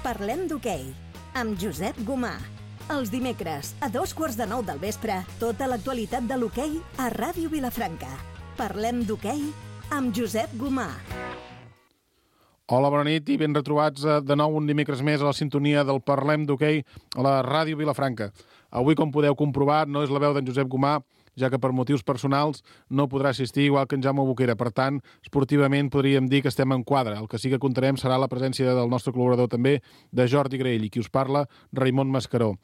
Parlem d'hoquei, amb Josep Gomà. Els dimecres, a 8:45 del vespre, tota l'actualitat de l'hoquei a Ràdio Vilafranca. Parlem d'hoquei amb Josep Gomà. Hola, bona nit i ben retrobats de nou un dimecres més a la sintonia del Parlem d'hoquei a la Ràdio Vilafranca. Avui, com podeu comprovar, no és la veu d'en Josep Gomà, ja que per motius personals no podrà assistir igual que en Jaume Boquera. Per tant, esportivament podríem dir que estem en quadre. El que sí que comptarem serà la presència del nostre col·laborador també, de Jordi Graell, i qui us parla, Raimon Mascaró.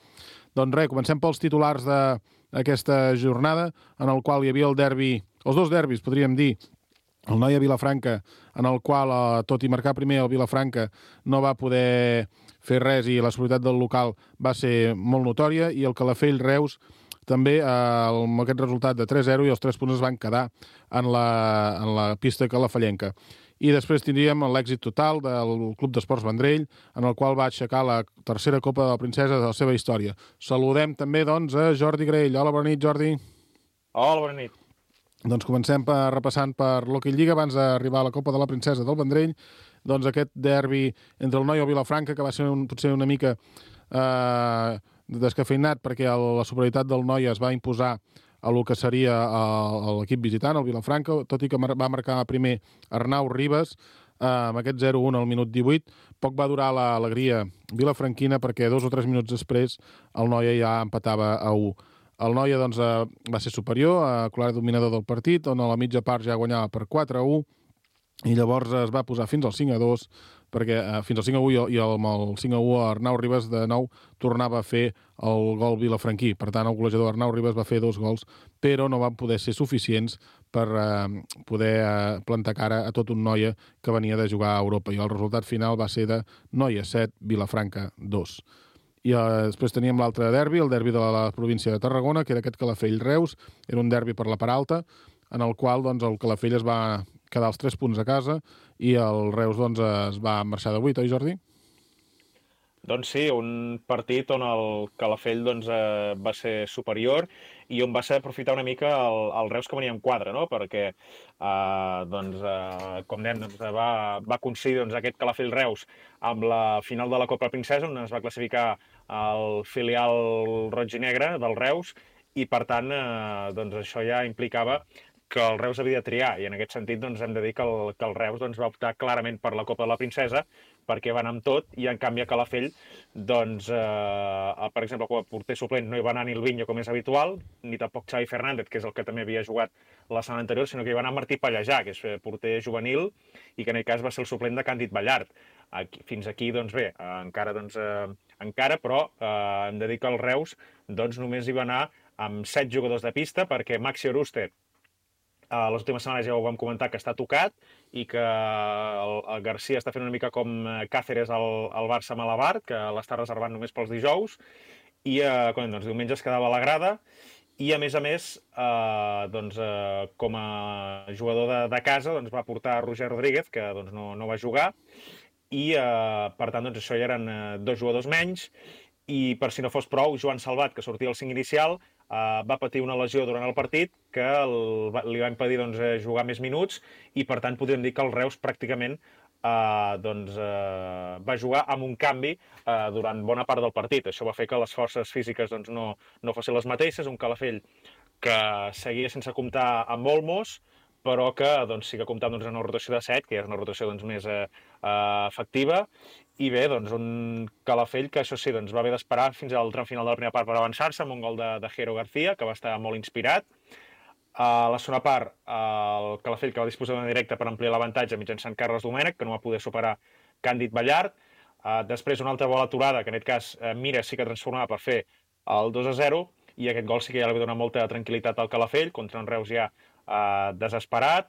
Doncs res, comencem pels titulars d'aquesta jornada, en el qual hi havia el derbi, els dos derbis, podríem dir, el Noia-Vilafranca, en el qual, tot i marcar primer el Vilafranca, no va poder fer res i la superioritat del local va ser molt notòria, i el Calafell-Reus també amb aquest resultat de 3-0 i els 3 punts es van quedar en la pista calafellenca. I després tindríem l'èxit total del Club d'Esports Vendrell, en el qual va aixecar la tercera Copa de la Princesa de la seva història. Saludem també, doncs, a Jordi Graell. Hola, bona nit, Jordi. Hola, bona nit. Doncs comencem repassant per l'Hockey Lliga abans d'arribar a la Copa de la Princesa del Vendrell. Doncs aquest derbi entre el Noia i el Vilafranca, que va ser potser una mica descafeinat perquè la superioritat del Noia es va imposar a el que seria l'equip visitant, el Vilafranca, tot i que va marcar primer Arnau Ribas amb aquest 0-1 al minut 18. Poc va durar l'alegria vilafranquina perquè 2 o 3 minuts després el Noia ja empatava a 1. El Noia doncs, va ser superior, clar dominador del partit, on a la mitja part ja guanyava per 4-1, i llavors es va posar fins al 5-2, perquè fins al 5-1 i amb el 5-1 Arnau Ribas de nou tornava a fer el gol vilafranquí. Per tant, el golejador Arnau Ribas va fer 2 gols, però no van poder ser suficients per poder plantar cara a tot un Noia que venia de jugar a Europa. I el resultat final va ser de Noia 7, Vilafranca 2. I després teníem l'altre derbi, el derbi de la província de Tarragona, que era aquest Calafell-Reus. Era un derbi per la part alta, en el qual doncs, el Calafell es va quedar els 3 punts a casa i el Reus doncs, es va marxar de 8, oi, Jordi? Doncs sí, un partit on el Calafell doncs, va ser superior i on va ser aprofitar una mica el Reus que venia en quadre, no? Perquè, com dèiem, va coincidir aquest Calafell-Reus amb la final de la Copa Princesa, on es va classificar el filial roig i negre del Reus, i per tant doncs, això ja implicava que el Reus havia de triar, i en aquest sentit doncs, hem de dir que el Reus doncs, va optar clarament per la Copa de la Princesa, perquè va anar amb tot, i en canvi a Calafell, doncs, per exemple, com a porter suplent no hi va anar ni el Viño, com és habitual, ni tampoc Xavi Fernández, que és el que també havia jugat la setmana anterior, sinó que hi va anar Martí Pallejà, que és porter juvenil, i que en aquest cas va ser el suplent de Càndid Ballart. Fins aquí, doncs bé, encara, però hem de dir que el Reus doncs, només hi va anar amb 7 jugadors de pista, perquè Maxi Oruste, les últimes setmanes ja ho vam comentar, que està tocat i que el Garcia està fent una mica com Cáceres al Barça Malabar, que l'està reservant només pels dijous, i doncs, diumenge es quedava a la grada, i a més, com a jugador de casa doncs, va portar Roger Rodríguez, que doncs, no va jugar, i per tant doncs, això ja eren 2 jugadors menys, i per si no fos prou, Joan Salvat, que sortia al 5 inicial, va patir una lesió durant el partit que li va impedir doncs, jugar més minuts, i per tant podríem dir que el Reus pràcticament va jugar amb un canvi durant bona part del partit. Això va fer que les forces físiques doncs, no fossin les mateixes, un Calafell que seguia sense comptar amb Olmos, però que doncs, sí que comptava doncs, en una rotació de 7, que és una rotació doncs, més efectiva, i bé, doncs, un Calafell que això sí, doncs, va haver d'esperar fins al tram final de la primera part per avançar-se, amb un gol de Jero García, que va estar molt inspirat. A la segona part, el Calafell, que va disposar d'una directa per ampliar l'avantatge mitjançant Carles Domènech, que no va poder superar Càndid Ballart. Després, una altra bola aturada, que en aquest cas Mira sí que transformava per fer el 2-0, i aquest gol sí que ja li va donar molta tranquil·litat al Calafell, contra un Reus ja desesperat,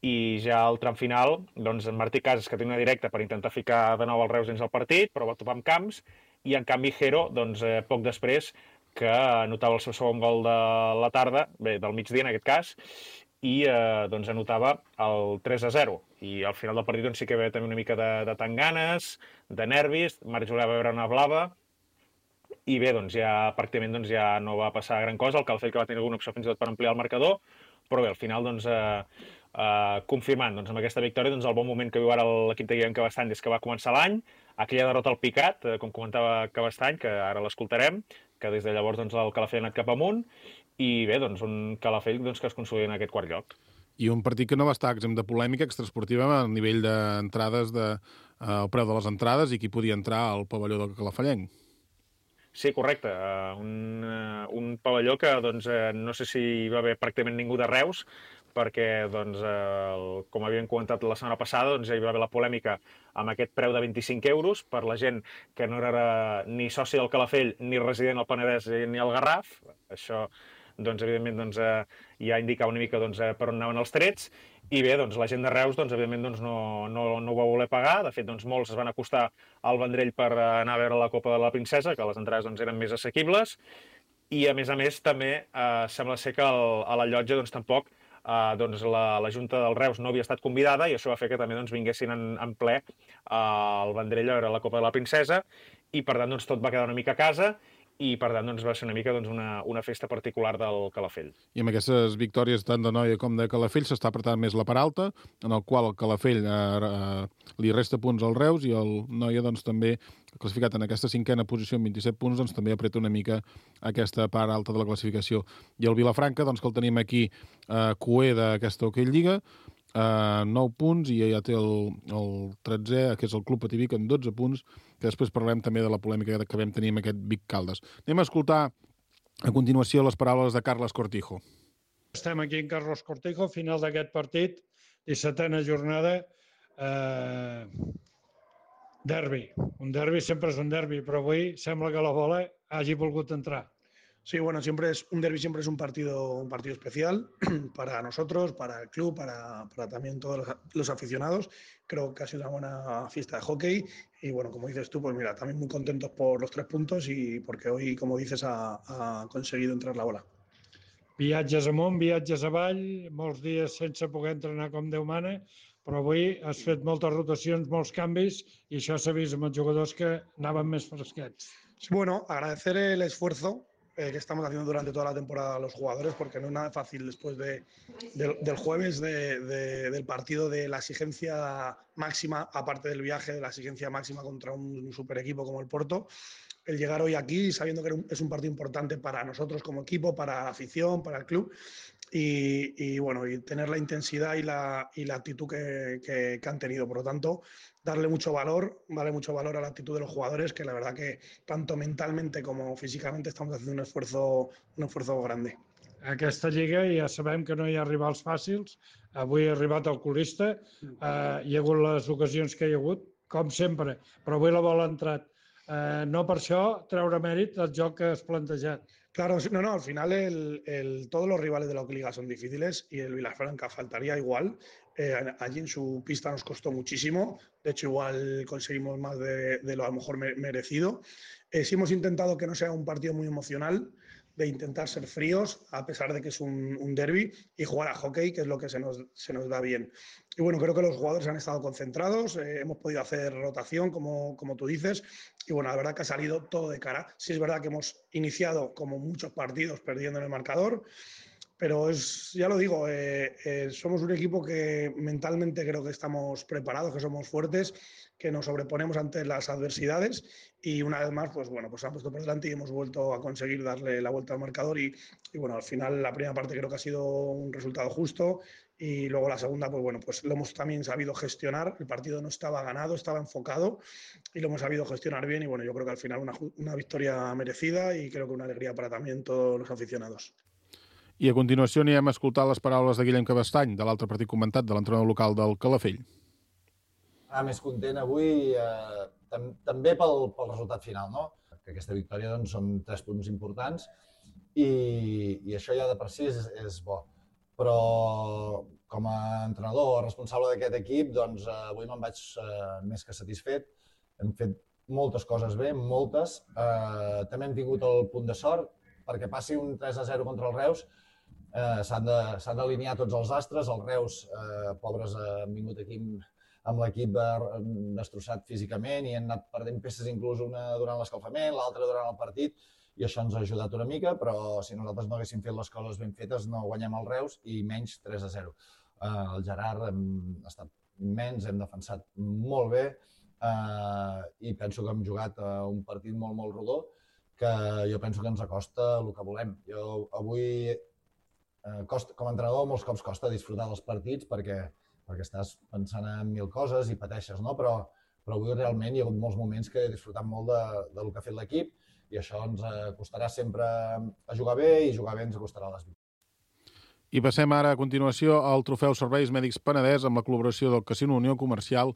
i ja al tram final, doncs, Martí Casas, que té una directa per intentar ficar de nou el Reus dins el partit, però va topar amb Camps, i en canvi Jero, doncs, poc després, que anotava el seu segon gol de la tarda, bé, del migdia en aquest cas, i doncs anotava el 3-0. I al final del partit doncs, sí que hi va també una mica de tanganes, de nervis, Marc Julià va veure una blava, i bé, doncs ja pràcticament doncs, ja no va passar gran cosa, el Calafell que va tenir alguna opció fins i tot per ampliar el marcador, però bé, al final doncs, confirmant doncs, amb aquesta victòria doncs, el bon moment que viu ara l'equip de Guillem Cabestany des que va començar l'any, aquella derrota al Picat, com comentava Cabestany, que ara l'escoltarem, que des de llavors doncs, el Calafell ha anat cap amunt, i bé, doncs, un Calafell doncs, que es consolida en aquest quart lloc. I un partit que no va estar exempt de polèmica extraesportiva a nivell d'entrades, el preu de les entrades i qui podia entrar al pavelló del Calafellenc. Sí, correcte. Un pavelló que doncs, no sé si hi va haver pràcticament ningú de Reus, perquè, doncs, com havíem comentat la setmana passada, doncs, ja hi va haver la polèmica amb aquest preu de 25 euros per la gent que no era ni soci del Calafell, ni resident al Penedès ni al Garraf. Això, doncs, evidentment, doncs, ja indicava una mica doncs, per on anaven els trets. I bé, doncs, la gent de Reus, doncs, evidentment, doncs, no ho va voler pagar. De fet, doncs, molts es van acostar al Vendrell per anar a veure la Copa de la Princesa, que les entrades doncs, eren més assequibles. I, a més, també, sembla ser que a la llotja doncs, tampoc doncs, la Junta del Reus no havia estat convidada i això va fer que també doncs, vinguessin en ple al Vendrell a veure la Copa de la Princesa i, per tant, doncs, tot va quedar una mica a casa i, per tant, doncs, va ser una mica doncs, una festa particular del Calafell. I amb aquestes victòries tant de Noia com de Calafell s'està apretant més la part alta, en el qual el Calafell li resta punts al Reus i el Noia doncs, també, classificat en aquesta cinquena posició amb 27 punts, doncs, també apreta una mica aquesta part alta de la classificació. I el Vilafranca, doncs, que el tenim aquí coer d'aquesta Hockey Lliga, 9 punts i ja té el 13è, que és el Club Pativic, amb 12 punts, que després parlem també de la polèmica que vam tenir amb aquest Vic Caldes. Anem a escoltar a continuació les paraules de Carles Cortijo. Estem aquí en Carlos Cortijo, final d'aquest partit, 17a jornada, derbi. Un derbi sempre és un derbi, però avui sembla que la bola hagi volgut entrar. Sí, bueno, un derbi siempre es un partido especial para nosotros, para el club, para también todos los aficionados. Creo que ha sido una buena fiesta de hockey y bueno, como dices tú, pues mira, también muy contentos por los 3 puntos y porque hoy, como dices, ha conseguido entrar la bola. Viatges amunt, viatges avall, molts dies sense poder entrenar com Déu mana, però avui has fet moltes rotacions, molts canvis i això s'ha vist amb els jugadors que anaven més fresquets. Bueno, agradecer el esfuerzo que estamos haciendo durante toda la temporada a los jugadores, porque no es nada fácil después del jueves, del partido, de la exigencia máxima, aparte del viaje, de la exigencia máxima contra un super equipo como el Porto, el llegar hoy aquí sabiendo que es un partido importante para nosotros como equipo, para la afición, para el club, y bueno, y tener la intensidad y la actitud que han tenido. Por lo tanto, darle mucho valor a la actitud de los jugadores, que la verdad que tanto mentalmente como físicamente estamos haciendo un esfuerzo grande. A aquesta lliga ja sabem que no hi ha rivals fàcils. Avui ha arribat el colista, hi ha hagut les ocasions que hi ha hagut, com sempre, però avui la bola ha entrat. No per això treure mèrit del joc que has plantejat. Claro, no, al final todos los rivales de la Liga son difíciles y el Vilafranca faltaría igual. Allí en su pista nos costó muchísimo, de hecho igual conseguimos más de lo a lo mejor merecido. Sí hemos intentado que no sea un partido muy emocional, de intentar ser fríos, a pesar de que es un derbi, y jugar a hockey, que es lo que se nos da bien. Y bueno, creo que los jugadores han estado concentrados, hemos podido hacer rotación, como tú dices, y bueno, la verdad que ha salido todo de cara. Sí es verdad que hemos iniciado, como muchos partidos, perdiendo en el marcador, pero ya lo digo, somos un equipo que mentalmente creo que estamos preparados, que somos fuertes, que nos sobreponemos ante las adversidades y una vez más, pues bueno, pues se han puesto por delante y hemos vuelto a conseguir darle la vuelta al marcador y bueno, al final la primera parte creo que ha sido un resultado justo y luego la segunda, pues bueno, pues lo hemos también sabido gestionar. El partido no estaba ganado, estaba enfocado y lo hemos sabido gestionar bien y bueno, yo creo que al final una victoria merecida y creo que una alegría para también todos los aficionados. I a continuació anirem a escoltar les paraules de Guillem Cabestany, de l'altre partit comentat, de l'entrenador local del Calafell. Més content avui, també pel resultat final, no? Que aquesta victòria doncs, són 3 punts importants i això ja de per si és bo. Però com a entrenador responsable d'aquest equip, doncs avui me'n vaig més que satisfet. Hem fet moltes coses bé, moltes. També hem tingut el punt de sort, perquè passi un 3-0 contra el Reus, s'han d'alinear tots els astres. Els Reus, pobres, han vingut aquí amb l'equip destrossat físicament i han anat perdent peces inclús una durant l'escalfament, l'altra durant el partit, i això ens ha ajudat una mica, però si nosaltres no haguéssim fet les coses ben fetes no guanyem el Reus i menys 3-0. El Gerard hem estat immens, hem defensat molt bé, i penso que hem jugat un partit molt, molt rodó, que jo penso que ens acosta el que volem. Jo avui, com a entrenador, molts cops costa disfrutar dels partits perquè estàs pensant en mil coses i pateixes, no? Però avui realment hi ha hagut molts moments que he disfrutat molt del que ha fet l'equip i això ens costarà sempre a jugar bé i jugar bé ens costarà les victòries. I passem ara a continuació al trofeu Serveis Mèdics Penedès amb la col·laboració del Casino Unió Comercial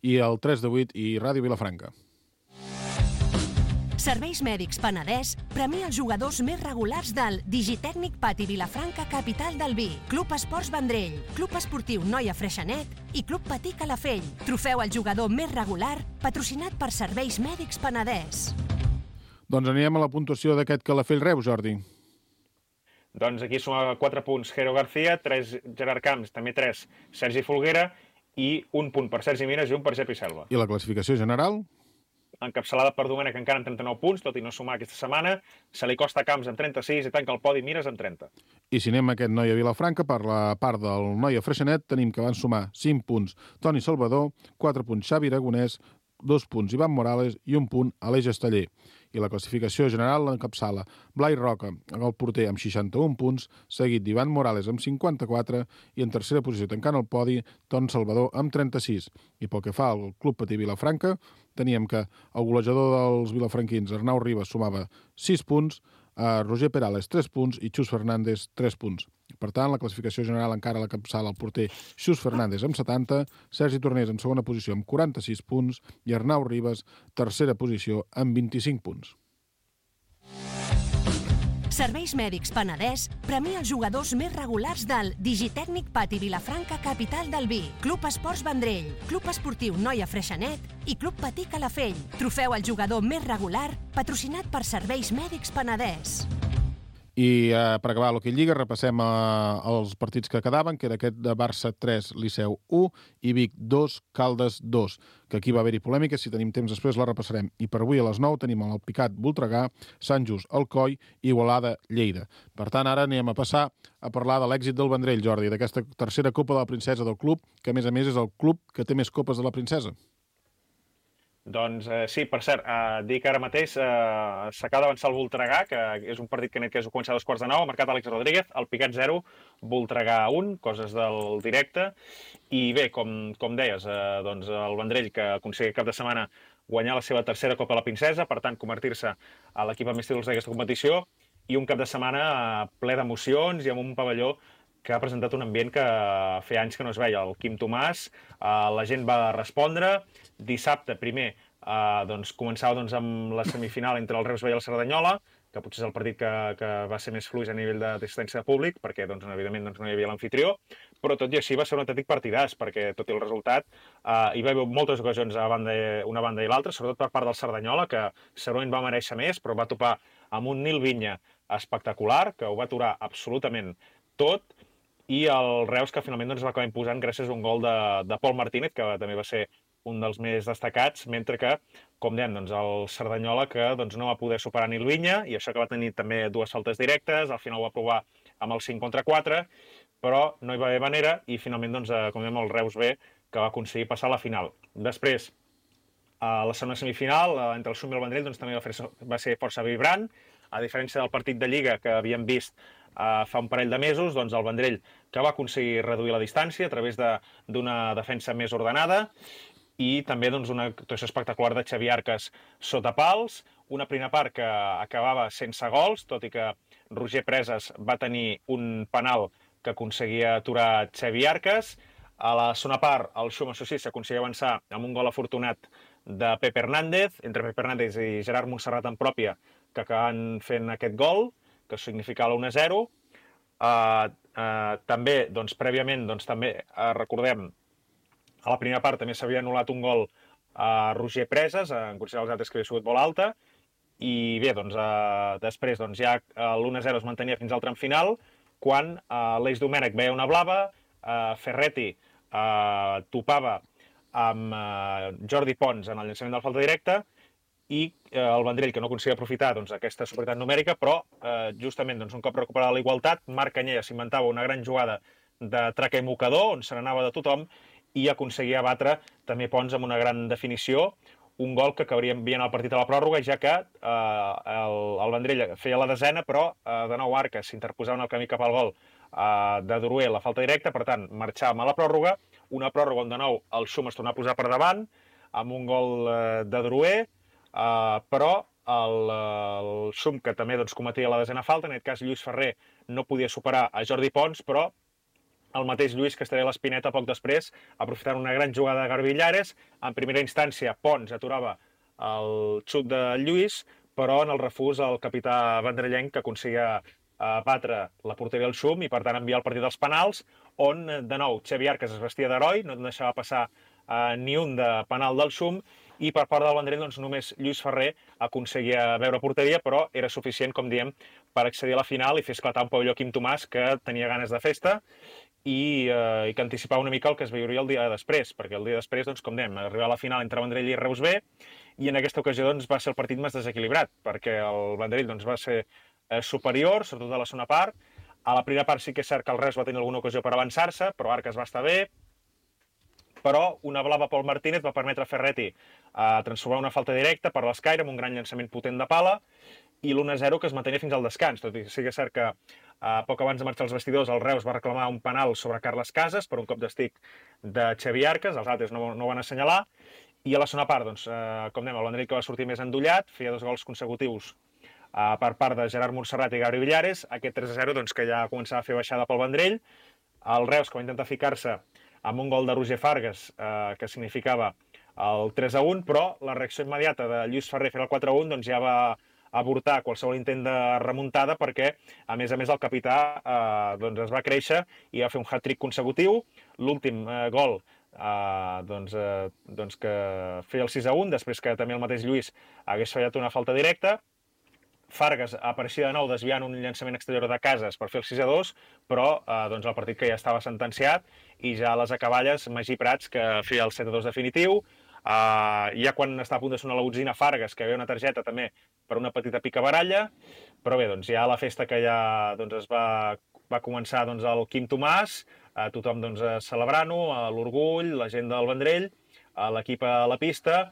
i el 3 de 8 i Ràdio Vilafranca. Serveis Mèdics Penedès premia els jugadors més regulars del Digitècnic Pati Vilafranca, capital del vi, Club Esports Vendrell, Club Esportiu Noia Freixenet i Club Patí Calafell. Trofeu al jugador més regular, patrocinat per Serveis Mèdics Penedès. Doncs anirem a la puntuació d'aquest Calafell Reus, Jordi. Doncs aquí suma 4 punts Jero García, 3 Gerard Camps, també 3 Sergi Folguera i 1 punt per Sergi Mires i 1 per Jepi Selva. I la classificació general? Encapçalada per Domènech encara amb 39 punts, tot i no sumar aquesta setmana. Se li costa Camps amb 36 i tanca el podi Mires amb 30. I si anem a aquest Noia Vilafranca, per la part del Noia Freixenet, tenim que van sumar 5 punts Toni Salvador, 4 punts Xavi Aragonès, 2 punts Ivan Morales i 1 punt Aleix Esteller. I la classificació general l'encapçala Blai Roca, el porter, amb 61 punts, seguit d'Ivan Morales amb 54 i en tercera posició tancant el podi Ton Salvador amb 36. I pel que fa al Club Patí Vilafranca, teníem que el golejador dels vilafranquins, Arnau Ribas, sumava 6 punts, Roger Perales 3 punts i Xus Fernández 3 punts. Per tant, la classificació general encara l'encapçala el porter Xus Fernández amb 70, Sergi Tornés en segona posició amb 46 punts i Arnau Ribas, tercera posició, amb 25 punts. Serveis Mèdics Penedès premia els jugadors més regulars del Digitècnic Pati Vilafranca, capital del vi, Club Esports Vendrell, Club Esportiu Noia Freixenet i Club Patí Calafell. Trofeu al jugador més regular, patrocinat per Serveis Mèdics Penedès. I per acabar l'Hockey Lliga repassem els partits que quedaven, que era aquest de Barça 3, Liceu 1 i Vic 2, Caldes 2, que aquí va haver-hi polèmica, si tenim temps després la repassarem. I per avui a les 9 tenim el Picat Voltregà, Sant Just Alcoi i Igualada Lleida. Per tant, ara anem a passar a parlar de l'èxit del Vendrell, Jordi, d'aquesta tercera Copa de la Princesa del club, que a més és el club que té més copes de la Princesa. Doncs sí, per cert, dir que ara mateix s'acaba d'avançar el Voltregà, que és un partit que és començar a 2:45, ha marcat Àlex Rodríguez, el Picat 0, Voltregà 1, coses del directe. I bé, com deies, doncs el Vendrell, que aconsegueix cap de setmana guanyar la seva tercera Copa de la Princesa, per tant, convertir-se a l'equip amb més títols d'aquesta competició, i un cap de setmana ple d'emocions i amb un pavelló que ha presentat un ambient que feia anys que no es veia. El Quim Tomàs, la gent va respondre. Dissabte, primer, començava amb la semifinal entre el Reus B i el Cerdanyola, que potser és el partit que va ser més fluix a nivell d'assistència de públic, perquè, evidentment, no hi havia l'anfitrió, però tot i així va ser un autèntic partidàs, perquè, tot i el resultat, hi va haver moltes ocasions a una banda i l'altra, sobretot per part del Cerdanyola, que segurament va mereixer més, però va topar amb un Nil Vinya espectacular, que ho va aturar absolutament tot, i el Reus, que finalment va acabar imposant gràcies a un gol de Pol Martínez, que també va ser un dels més destacats, mentre que, com dèiem, el Cerdanyola que no va poder superar Nil Vinya, i això que va tenir també 2 faltes directes, al final ho va provar amb el 5-4, però no hi va haver manera, i finalment, com dèiem, el Reus B, que va aconseguir passar a la final. Després, a la segona semifinal, entre el Sum i el Vendrell, també va ser força vibrant, a diferència del partit de Lliga que havíem vist fa un parell de mesos, el Vendrell que va aconseguir reduir la distància a través d'una defensa més ordenada i també una actuació espectacular de Xavi Arcas sota pals, una primera part que acabava sense gols, tot i que Roger Preses va tenir un penal que aconseguia aturar Xavi Arcas. A la segona part, el Xum, això sí, s'aconseguia avançar amb un gol afortunat de Pepe Hernández, entre Pepe Hernández i Gerard Montserrat en pròpia, que acaben fent aquest gol, que significa l'1-0. També, prèviament, també recordem, a la primera part també s'havia anul·lat un gol a Roger Preses, en considerar els altres que havia sigut molt alta, i bé, després ja l'1-0 es mantenia fins al tram final, quan l'Eix Domènech veia una blava, Ferretti topava amb Jordi Pons en el llançament de la falta directa, i el Vendrell, que no aconseguia aprofitar aquesta superioritat numèrica, però justament un cop recuperada la igualtat, Marc Canyella s'inventava una gran jugada de traca i mocador, on se n'anava de tothom, i aconseguia batre també Pons amb una gran definició, un gol que acabaria enviant el partit a la pròrroga, ja que el Vendrell feia la desena, però de nou Arques s'interposava en el camí cap al gol de Drouet, la falta directa, per tant, marxàvem a la pròrroga, una pròrroga on de nou el Xum es tornava a posar per davant, amb un gol de Drouet, però el Xum, que també cometia la desena falta, en aquest cas Lluís Ferrer no podia superar a Jordi Pons, però el mateix Lluís que estaria a l'Espineta poc després, aprofitant una gran jugada de Garbillares. En primera instància, Pons aturava el xut de Lluís, però en el refús el capità vendrellenc que aconseguia batre la porteria del Xum i, per tant, enviar el partit als penals, on, de nou, Xavi Arques es vestia d'heroi, no deixava passar ni un de penal del Xum, i per part del Vendrell només Lluís Ferrer aconseguia veure porteria, però era suficient, com diem, per accedir a la final i fer esclatar un pavelló Quim Tomàs que tenia ganes de festa i que anticipava una mica el que es veuria el dia després, perquè el dia després, com dèiem, arribar a la final entre Vendrell i Reus B, i en aquesta ocasió va ser el partit més desequilibrat, perquè el Vendrell va ser superior, sobretot a la segona part. A la primera part sí que és cert que el Reus va tenir alguna ocasió per avançar-se, però Arques va estar bé, però una blava Pol Martínez va permetre a Ferretti transformar una falta directa per l'escaire amb un gran llançament potent de pala i l'1-0 que es mantenia fins al descans, tot i que sí que és cert que poc abans de marxar als vestidors el Reus va reclamar un penal sobre Carles Casas per un cop d'estic de Xavi Arques, els altres no van assenyalar, i a la segona part, com dèiem, el Vendrell que va sortir més endollat, feia 2 gols consecutius per part de Gerard Montserrat i Gabri Villares, aquest 3-0 que ja començava a fer baixada pel Vendrell, el Reus que va intentar ficar-se amb un gol de Roger Fargas, que significava el 3-1, però la reacció immediata de Lluís Ferrer fer el 4-1 ja va avortar qualsevol intent de remuntada perquè, a més, el capità es va créixer i va fer un hat-trick consecutiu. L'últim gol que feia el 6-1, després que també el mateix Lluís hagués fallat una falta directa. Fargas apareixia de nou desviant un llançament exterior de Casas per fer el 6-2, però el partit que ja estava sentenciat i ja a les acaballes Magí Prats que feia el 7-2 definitiu. Ja quan estava a punt de sonar la botzina Fargas, que havia una targeta també per una petita picabaralla, però bé, ja la festa que ja va començar el Quim Tomàs, tothom celebrant-ho, l'orgull, la gent del Vendrell, l'equip a la pista,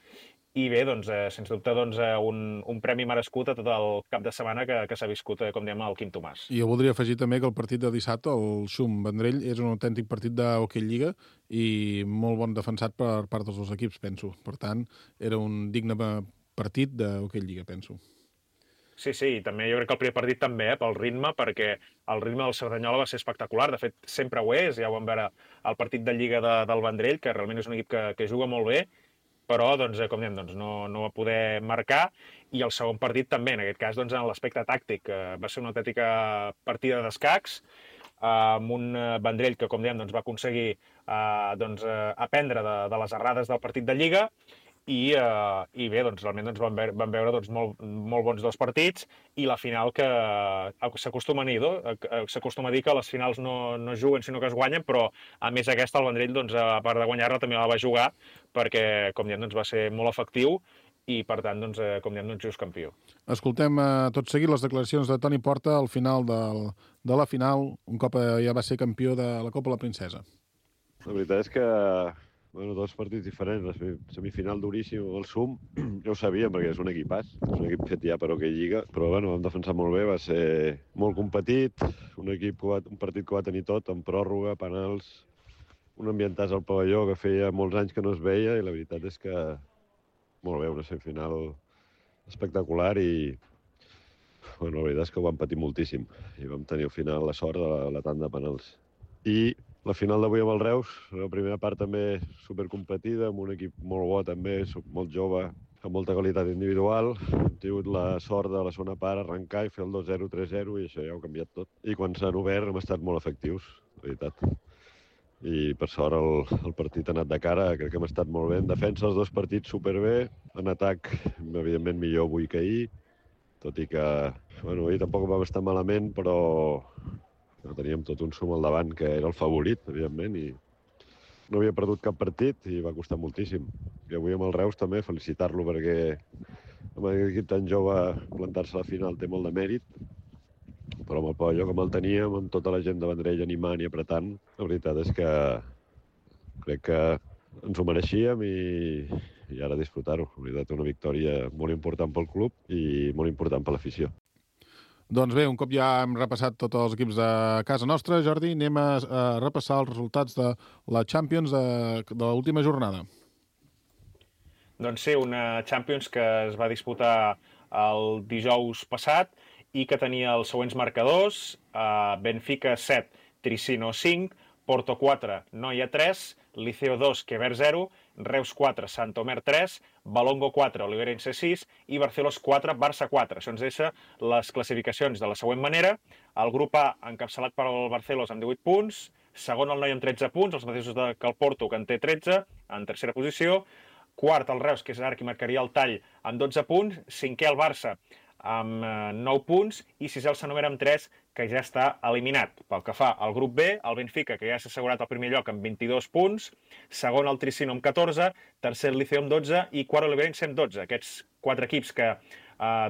i bé, sens dubte, un premi merescut a tot el cap de setmana que s'ha viscut, com diem, al Quim Tomàs. I jo voldria afegir també que el partit de dissabte, el Xum-Vendrell, és un autèntic partit d'hoquei lliga i molt bon defensat per part dels dos equips, penso. Per tant, era un digne partit d'hoquei lliga, penso. Sí, i també jo crec que el primer partit també, pel ritme, perquè el ritme del Cerdanyola va ser espectacular. De fet, sempre ho és, ja ho vam veure al partit de lliga del Vendrell, que realment és un equip que juga molt bé, però, com diem, no va poder marcar, i el segon partit també, en aquest cas, en l'aspecte tàctic. Va ser una autèntica partida d'escacs, amb un Vendrell que, com diem, va aconseguir aprendre de les errades del partit de Lliga, i bé, realment vam veure molt bons dos partits, i la final que s'acostuma a dir que les finals no juguen sinó que es guanyen, però a més aquesta el Vendrell, a part de guanyar-la, també la va jugar, perquè, com diem, va ser molt efectiu i, per tant, com diem, just campió. Escoltem tot seguit les declaracions de Toni Porta al final de la final, un cop ja va ser campió de la Copa La Princesa. La veritat és que dos partits diferents. La semifinal duríssim, el Xum, ja ho sabíem perquè és un equipàs, és un equip fet ja per hoquei lliga, però vam defensar molt bé, va ser molt competit, un partit que va tenir tot, amb pròrroga, penals, un ambientàs al pavelló que feia molts anys que no es veia, i la veritat és que molt bé, una semifinal espectacular i la veritat és que ho vam patir moltíssim i vam tenir al final la sort de la tanda de penals. I la final d'avui amb el Reus, la primera part també supercompetida, amb un equip molt bo també, molt jove, amb molta qualitat individual. Hem tingut la sort de la segona part arrencar i fer el 2-0, 3-0 i això ja ho ha canviat tot. I quan s'han obert hem estat molt efectius, la veritat. I per sort el partit ha anat de cara, crec que hem estat molt bé. En defensa els dos partits superbé, en atac evidentment millor avui que ahir, tot i que ahir tampoc vam estar malament, però teníem tot un Xum al davant que era el favorit, evidentment, i no havia perdut cap partit i va costar moltíssim. I avui amb el Reus també felicitar-lo perquè amb aquest equip tan jove plantar-se a la final té molt de mèrit, però amb el pavelló com el teníem, amb tota la gent de Vendrell animant i apretant, la veritat és que crec que ens ho mereixíem i ara disfrutar-ho. En veritat, una victòria molt important pel club i molt important per l'afició. Doncs bé, un cop ja hem repassat tots els equips de casa nostra, Jordi, anem a repassar els resultats de la Champions de l'última jornada. Doncs sí, una Champions que es va disputar el dijous passat i que tenia els següents marcadors: Benfica 7, Tricino 5, Porto 4, Noia 3, Liceo 2, Quever 0, Reus 4, Santomer 3, Balongo 4, Oliveirense 6 i Barcelos 4, Barça 4. Això ens deixa les classificacions de la següent manera. El grup A, encapçalat per el Barcelos amb 18 punts, segon el Noia amb 13 punts, els mateixos que el Porto, que en té 13, en tercera posició. Quart, el Reus, que és ara qui marcaria el tall, amb 12 punts. Cinquè, el Barça, amb 9 punts. I sisè, el Santomer, amb 3, que ja està eliminat. Pel que fa al grup B, el Benfica, que ja s'ha assegurat el primer lloc amb 22 punts. Segon, el Tricino, amb 14. Tercer, el Liceo, amb 12. I quart, l'Oliveirense, amb 12. Aquests 4 equips que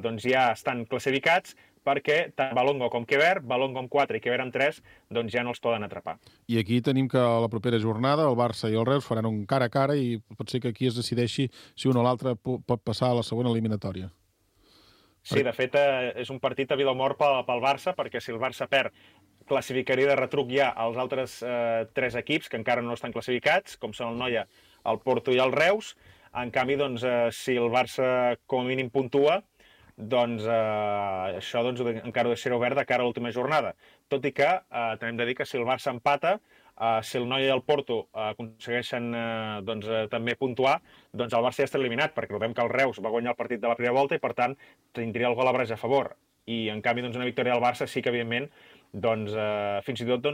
doncs ja estan classificats, perquè tant Balongo com Quever, Balongo amb 4 i Quever amb 3, doncs ja no els poden atrapar. I aquí tenim que a la propera jornada el Barça i el Reus faran un cara a cara i pot ser que aquí es decideixi si un o l'altre pot passar a la segona eliminatòria. Sí, de fet, és un partit a vida o mort pel Barça, perquè si el Barça perd, classificaria de retruc ja els altres 3 equips que encara no estan classificats, com són el Noia, el Porto i el Reus. En canvi, doncs, si el Barça com a mínim puntua, doncs això encara ho deixarà obert de cara a l'última jornada. Tot i que també hem de dir que si el Barça empata, si el Noia i el Porto aconsegueixen també puntuar, doncs el Barça ja està eliminat, perquè recordem que el Reus va guanyar el partit de la primera volta i, per tant, tindria el gol a Braga a favor. I, en canvi, una victòria del Barça sí que, evidentment, fins i tot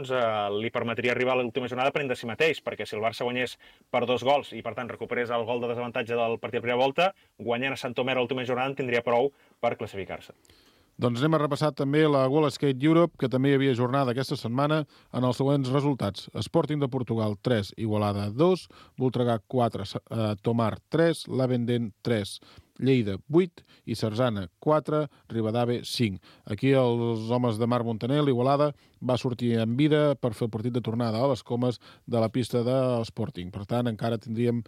li permetria arribar a l'última jornada per de si mateix, perquè si el Barça guanyés per 2 gols i, per tant, recuperés el gol de desavantatge del partit de primera volta, guanyant a Santomer a l'última jornada en tindria prou per classificar-se. Doncs anem a repassar també la World Skate Europe, que també hi havia jornada aquesta setmana, en els següents resultats. Sporting de Portugal 3, Igualada 2, Voltregà 4, Tomar 3, Lavendent 3, Lleida 8 i Sarzana 4, Ribadave 5. Aquí els homes de Marc Montaner, l'Igualada, va sortir en vida per fer el partit de tornada a les comes de la pista de l'Sporting. Per tant, encara tindríem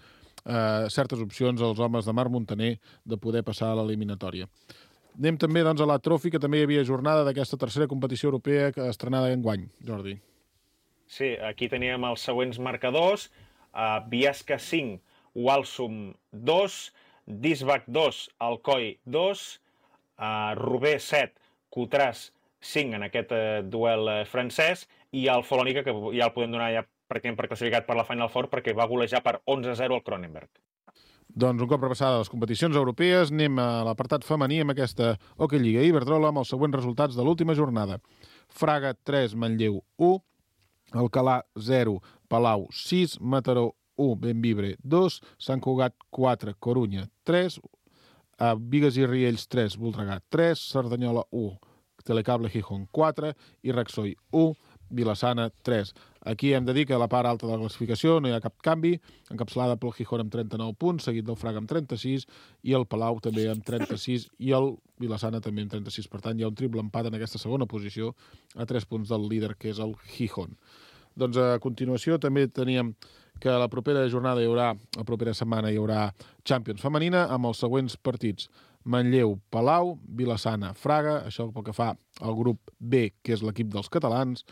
certes opcions als homes de Marc Montaner de poder passar a l'eliminatòria. Anem també doncs, a la Trophy, que també hi havia jornada d'aquesta tercera competició europea estrenada enguany, Jordi. Sí, aquí teníem els següents marcadors. Biesca 5, Walsum 2, Disbac 2, Alcoi 2, Roubaix 7, Coutras 5 en aquest duel francès, i el Folònica, que ja el podem donar ja pràcticament per classificat per la Final Four, perquè va golejar per 11-0 al Cronenberg. Doncs un cop repassades les competicions europees, anem a l'apartat femení amb aquesta Hockey Lliga Iberdrola amb els següents resultats de l'última jornada. Fraga 3, Manlleu 1, Alcalà 0, Palau 6, Mataró 1, Benvibre 2, Sant Cugat 4, Corunya 3, Bigues i Riells 3, Voltregà 3, Cerdanyola 1, Telecable Gijón 4 i Raxoi 1, Vilassana 3. Aquí hem de dir que a la part alta de la classificació no hi ha cap canvi, encapçalada pel Gijón amb 39 punts, seguit del Fraga amb 36, i el Palau també amb 36, i el Vilassana també amb 36. Per tant, hi ha un triple empat en aquesta segona posició, a 3 punts del líder, que és el Gijón. Doncs a continuació també teníem que la propera jornada la propera setmana hi haurà Champions femenina amb els següents partits: Manlleu, Palau, Vilassana, Fraga, això pel que fa al grup B, que és l'equip dels catalans,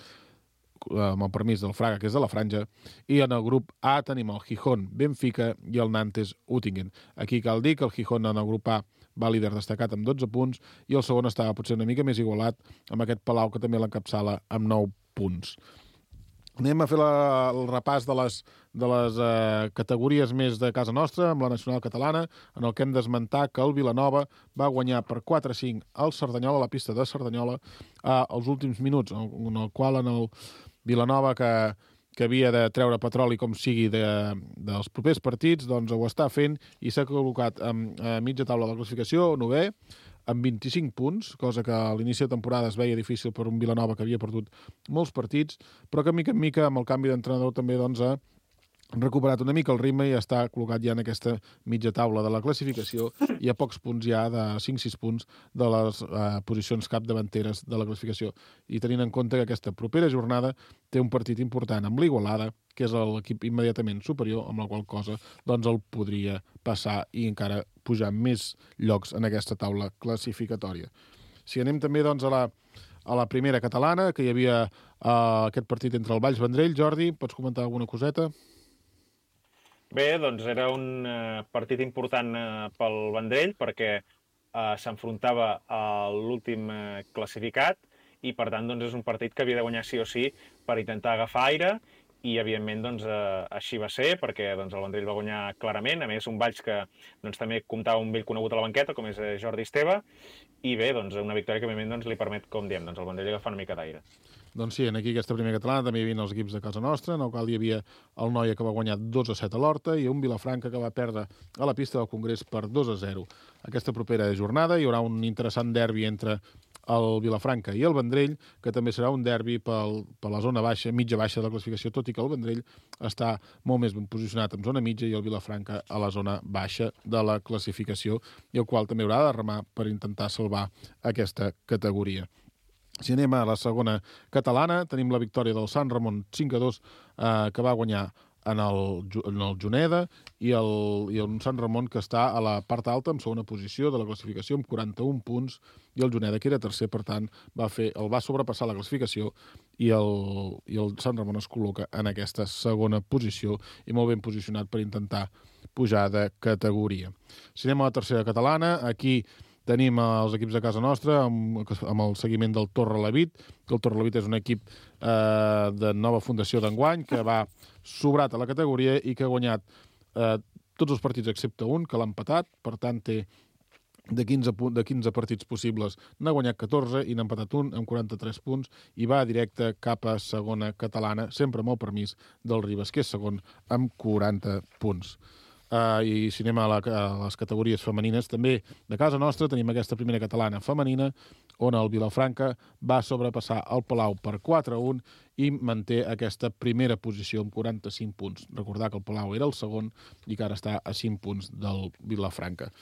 amb el permís del Fraga, que és de la franja, i en el grup A tenim el Gijón, Benfica i el Nantes Uttingen. Aquí cal dir que el Gijón en el grup A va líder destacat amb 12 punts i el segon estava potser una mica més igualat amb aquest Palau, que també l'encapçala amb 9 punts. Anem a fer el repàs de les categories més de casa nostra, amb la nacional catalana, en el que hem d'esmentar que el Vilanova va guanyar per 4-5 al Cerdanyola, a la pista de Cerdanyola, als últims minuts, en el qual en el Vilanova, que havia de treure petroli com sigui dels propers partits, doncs ho està fent i s'ha col·locat a mitja taula de la classificació, 9è, amb 25 punts, cosa que a l'inici de temporada es veia difícil per un Vilanova que havia perdut molts partits, però que mica en mica, amb el canvi d'entrenador, també doncs, ha recuperat una mica el ritme i està col·locat ja en aquesta mitja taula de la classificació i a pocs punts ja de 5-6 punts de les posicions capdavanteres de la classificació. I tenint en compte que aquesta propera jornada té un partit important amb l'Igualada, que és l'equip immediatament superior, amb la qual cosa doncs el podria passar i encara pujar més llocs en aquesta taula classificatòria. Si anem també doncs, a la primera catalana, que hi havia aquest partit entre el Valls Vendrell. Jordi, pots comentar alguna coseta? Bé, doncs era un partit important pel Vendrell perquè s'enfrontava a l'últim classificat i, per tant, doncs, és un partit que havia de guanyar sí o sí per intentar agafar aire i, evidentment, doncs, així va ser perquè doncs, el Vendrell va guanyar clarament. A més, un Valls que doncs, també comptava un vell conegut a la banqueta, com és Jordi Esteve, i bé, doncs, una victòria que, evidentment, doncs, li permet, com diem, doncs, el Vendrell agafar una mica d'aire. Doncs sí, aquí aquesta primera catalana també hi havia els equips de casa nostra, en el qual hi havia el Noia que va guanyar 2-7 a l'Horta i un Vilafranca que va perdre a la pista del Congrés per 2-0. Aquesta propera jornada hi haurà un interessant derbi entre el Vilafranca i el Vendrell, que també serà un derbi per la zona baixa, mitja baixa de la classificació, tot i que el Vendrell està molt més ben posicionat en zona mitja i el Vilafranca a la zona baixa de la classificació, i el qual també haurà de remar per intentar salvar aquesta categoria. Si anem a la segona catalana, tenim la victòria del Sant Ramon 5-2, que va guanyar en el Juneda, i el Sant Ramon que està a la part alta, en segona posició de la classificació, amb 41 punts, i el Juneda, que era tercer, per tant, el va sobrepassar la classificació, i el Sant Ramon es col·loca en aquesta segona posició, i molt ben posicionat per intentar pujar de categoria. Si anem a la tercera catalana, aquí tenim els equips de casa nostra amb el seguiment del Torrelavit, que el Torrelavit és un equip de nova fundació d'enguany, que va sobrat a la categoria i que ha guanyat tots els partits excepte un, que l'ha empatat. Per tant, té de 15 partits possibles, n'ha guanyat 14 i n'ha empatat un amb 43 punts i va directe cap a segona catalana, sempre amb el permís del Ribes, que és segon amb 40 punts. I si anem a les categories femenines, també de casa nostra tenim aquesta primera catalana femenina, on el Vilafranca va sobrepassar el Palau per 4-1 i manté aquesta primera posició amb 45 punts. Recordar que el Palau era el segon i que ara està a 5 punts del Vilafranca.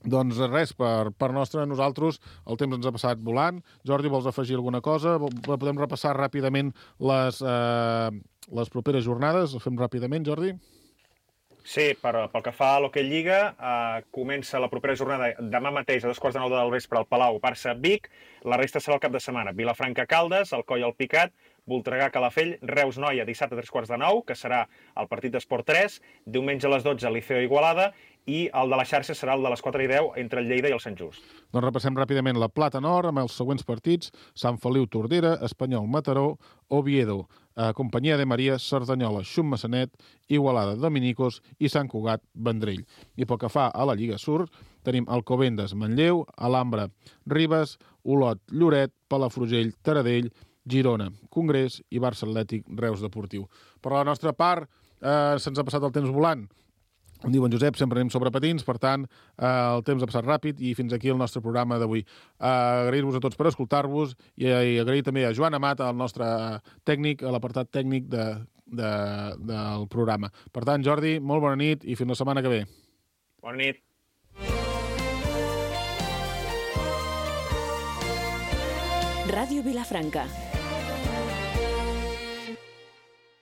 Doncs res, per nosaltres el temps ens ha passat volant. Jordi, vols afegir alguna cosa? Podem repassar ràpidament les properes jornades? Ho fem ràpidament, Jordi? Sí, pel que fa a l'Hockey Lliga, comença la propera jornada demà mateix a 2:15 del vespre al Palau, Barça-Vic. La resta serà el cap de setmana. Vilafranca-Caldes, Alcoi al Picat, Voltregà-Calafell, Reus-Noia, dissabte a 3:15, que serà el partit d'Esport 3, diumenge a les 12, Liceo-Igualada, i el de la xarxa serà el de les 4:10 entre el Lleida i el Sant Just. Doncs repassem ràpidament la Plata Nord amb els següents partits: Sant Feliu-Tordera, Espanyol-Mataró, Oviedo, Companyia de Maria, Cerdanyola, Xum-Massanet, Igualada, Dominicos i Sant Cugat, Vendrell. I pel que fa a la Lliga Sur, tenim Alcobendas, Manlleu, Alhambra, Ribes, Olot, Lloret, Palafrugell, Taradell, Girona, Congrés i Barça Atlètic, Reus Deportiu. Per la nostra part, se'ns ha passat el temps volant. Com diu en Josep, sempre anem sobre patins, per tant, el temps ha passat ràpid i fins aquí el nostre programa d'avui. Agrair-vos a tots per escoltar-vos i agrair també a Joan Amat, el nostre tècnic, a l'apartat tècnic del programa. Per tant, Jordi, molt bona nit i fins la setmana que ve. Bona nit. Ràdio Vilafranca,